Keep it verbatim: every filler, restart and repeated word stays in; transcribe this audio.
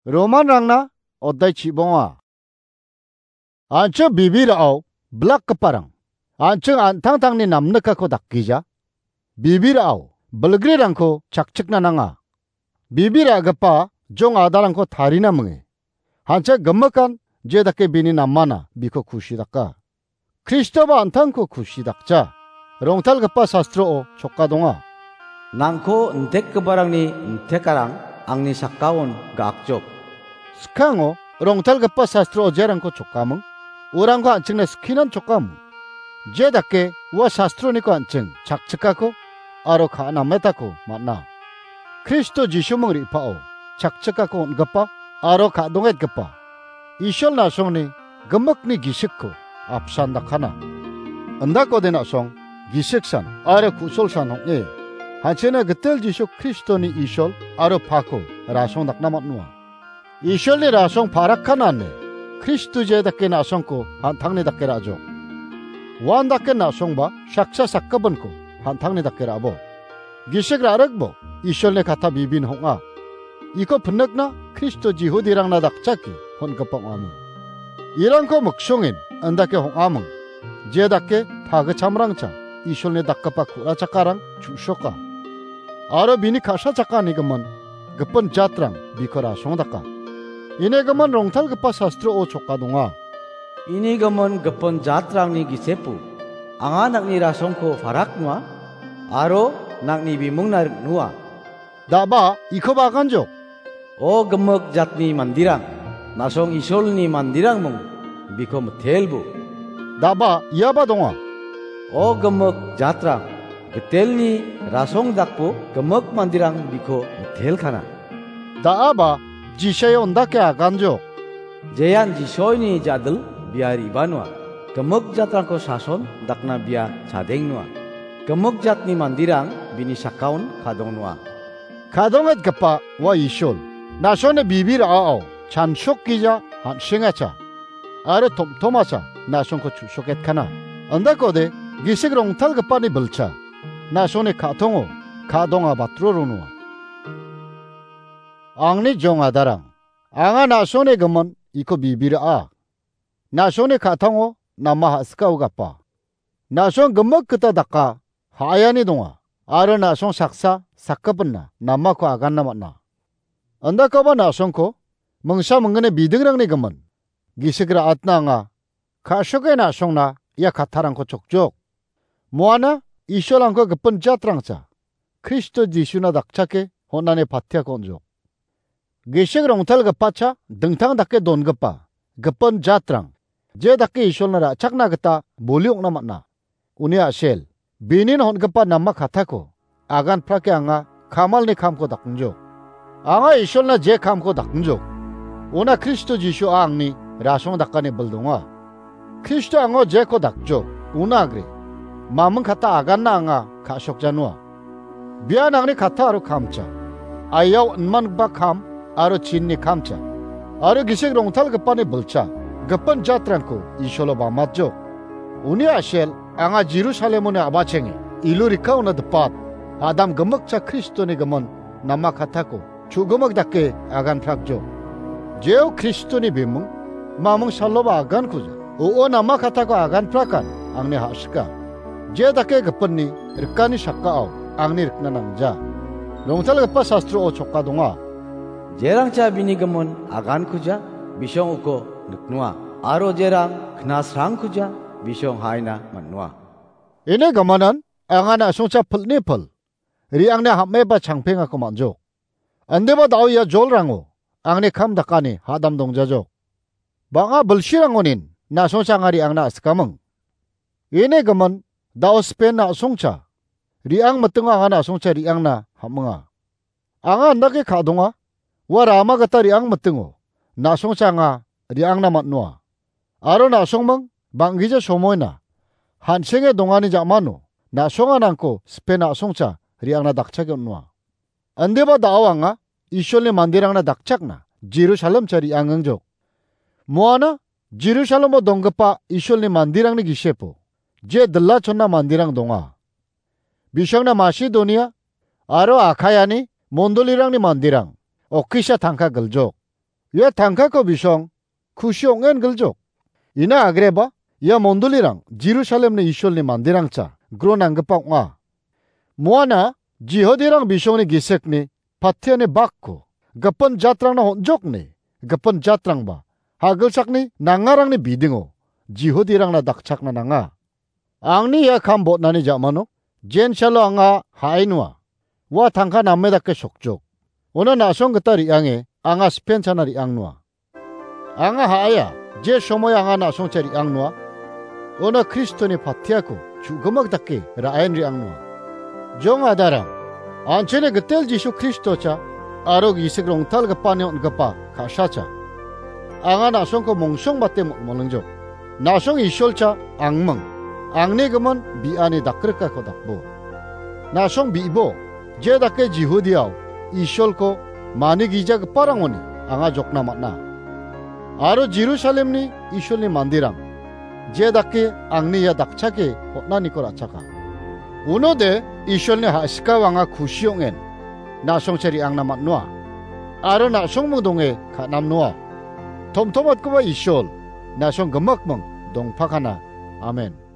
Romanrangna oddai chibonga. An·ching bibirao blakgiparang, an·ching an·tangtangni namnikako dakgija. Bibirao bilgrirangko chakchikna nanga. Bibir a·gipa jong adarangko tarina minge. Hancha gimikan je dake bini namana biko kusi daka. Kristoba an·tangko kusi dakja. Rongtalgipa sastroo choka donga. Nangko intekgiparangni intekarang angni sakaon ga·akjok. Skango rongtalgipa sastroo jerangko chokaming, urangko an·chingna skinan chokaming. Je dake ua sastroniko an·ching chakchikako aro ka·nametako man·a. Kristo Jisuming re·pao chakchikako on·gipa aro ka·dongetgipa Isol na·songni gimikni gisikko apsan dakana. Indakode na·song gisiksan aro ku·solsan ong·e, hanchena gitel Jisu Kristoni Isol aro pako rasong dakna man·noa. Isolni rasong parakkanane Kristo je dake na·songko han·tangni dake ra·jok. Uan dake na·songba saksa sakgipinko han·tangni dake ra·bo. Gisik ra·rikbo Isolni kata bibin hong·a. Iko pinikna Kristo Jihudirangna dakchake hon·gipa ong·aming. Irangko miksongin indake hong·aming. Je dake tagichamrangcha Isolni dakgipa ku·ra chakarang chu·soka. Aro bini ka·sa chakani gimin gipin jatrang biko rasong daka. Ini gimin rongtalgipa sastroo choka donga. Ini gimin gipin jatrangni gisepo anga nang·ni rasongko parak noa, aro nang·ni bimungna rik noa. Da·ba iko baganjok. O gimik jatni mandirang, na·song Isolni mandirangmung biko mitelbo. Da·ba iaba donga. O gimik jatrang, gitelni rasong dakbo gimik mandirang biko mitelkana. Da·aba Jisai ondake aganjok. Jean Jisoini jadil bia riba noa. Gimik jatrangko sason dakna bia chadeng noa. Gimik jatni mandirang bini sakaon kadong noa. Kadongetgipa ua Isol, na·songni bibir a·ao chansokgija han·sengacha aro tomtomacha na·songko chu·soketkana. Indakode gisik rongtalgipani bilcha na·songni ka·tongo ka·donga batro ronoa. Angni jong adarang, anga na·songni gimin iko bibir a. Na·songni ka·tango nama ha·sikao gapa. Na·song gimik gita daka ha·aiani donga, aro na·song saksa sakgipinna namako aganna man·a. Indakaba na·songko mingsa minggni bidingrangni gimin gisik ra·atna anga ka·soke na·songna ia kattarangko chokjok. Moana Isolangko gipin jatrangcha Kristo Jisuna dakchake hon·ani patiako on·jok. Gisik rongtalgipacha dingtang dake dongipa gipin jatrang je dake Isolna ra·chakna gita boli ong·na man·a. Uni a·sel, binin hon·gipa nama katako aganprake anga kamalni kamko dakengjok. Anga Isolna je kamko dakengjok, una Kristo Jisua angni rasong dakani bil donga. Kristo ango jeko dakjok, una agre. Maming kata aganna anga ka·sokjanua. Bian angni kata aro kamcha. Aiao inmangipa kam aro chinni kamcha. Aro gisik rongtalgipani bilcha, gipin jatrangko Isolo bamatjok. Uni a·sel anga Jerusalemoni a·bachenge, ilurikaona dipat, Adam gimikcha Kristoni gimin nama katako chu·gimik dake aganprakjok. Jeo Kristoni bimung, mamung saloba agankuja. O·o nama katako aganprakan angni ha·sika. Je dake gipinni rikani sakao angni rikna nangja. Rongtalgipa sastroo choka donga. Jerangcha bini gimin agankuja, bisong uko niknoa. Aro jerang knasrangkuja, bisong haina man·noa. Ine gamanan anga na·songcha pilni pil re·angna ham·eba changpengako man·jok. Indiba da·o ia jolrango angni kam dakani hadam dongjajok. Bang·a bilsirangonin na·songcha anga re·angna a·sikaming. Ine gimin da·o spen na·songcha re·ang mitingo anga na·songcha re·angna ham·inga. Anga andake ka·donga, ua rama gita re·ang mitingo na·songcha anga re·angna man·noa. Aro na·songming bang·gija somoina han·senge dongani ja·mano na·songa nangko spen na·songcha re·angna dakchake on·noa. Indiba da·o anga Isolni manderangna dakchakna Jerusalemcha re·angengjok. Moana Jerusalemo donggipa Isolni manderangni gisepo je dilachonna manderang donga. Bisongna Masedonia aro Akayani mondolirangni manderang okisa tangka giljok. Ia tangkako bisong kusi ong·engiljok. Ina agreba, ia mondolirang Jerusalemni Isolni manderangcha gro nanggipa ong·a. Muana Jihudirang bisongni gisekni patiani bakko gipin jatrangna on·jokni, gipin jatrangba hagilchakni nangarangni bidingo Jihudirangna dakchakna nanga. Angni ia kam botnani ja·mano jensalo anga ha·ainoa. Ua tangka name dake sokjok. Ona na·song gita re·ange anga sipenchana re·angnoa. Anga ha·aia, je somoio anga na·songcha re·angnoa. Ona Kristoni patiako chu·gimik dake ra·en re·angnoa. Jong adarang, an·chingni gitel Jisu Kristocha aro gisik rongtalgipani on·gipa ka·sacha. Anga na·songko mongsongbate mol-, molingjok. Na·song Isolcha angming, angni gimin bi·ani dakrikako dakbo. Na·song bi·bo, je dake Jihudiao Isolko manigijagiparangoni anga jokna man·a. Aro Jerusalemni Isolni manderang, je dake angni ia dakchake hotnaniko ra·chaka. Unode Isolni ha·sikao anga kusi ong·en, na·songcha re·angna man·noa. Aro na·songming donge ka·namnoa. Tomtomatgipa Isol, na·song gimikming dongpakana. Amen.